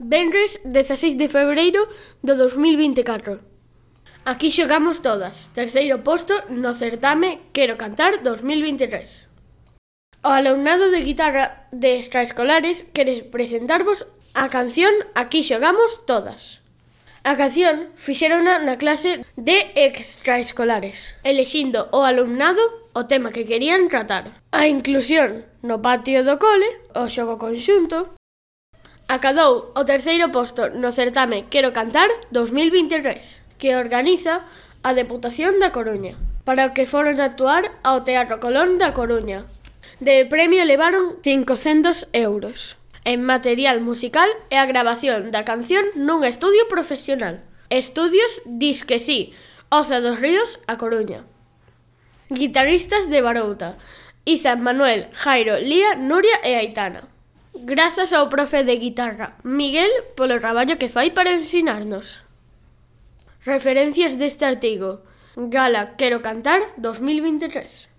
Venres 16 de febreiro do 2024. Aquí xogamos todas. Terceiro posto no certame Quero Cantar 2023. O alumnado de guitarra de extraescolares quere presentarvos a canción Aquí xogamos todas. A canción fixérona na clase de extraescolares, elixindo o alumnado o tema que querían tratar. A inclusión no patio do cole, o xogo conxunto, acadou o terceiro posto no certame Quero Cantar 2023, que organiza a Deputación da Coruña, para o que foron a actuar ao Teatro Colón da Coruña. De premio levaron 500 euros en material musical e a grabación da canción nun estudio profesional. Estudios Disque Sí, Oza dos Ríos, A Coruña. Guitarristas de Barouta: Izan, Manuel, Jairo, Lía, Nuria e Aitana. Grazas ao profe de guitarra, Miguel, polo traballo que fai para ensinarnos. Referencias deste artigo: Gala Quero Cantar 2023.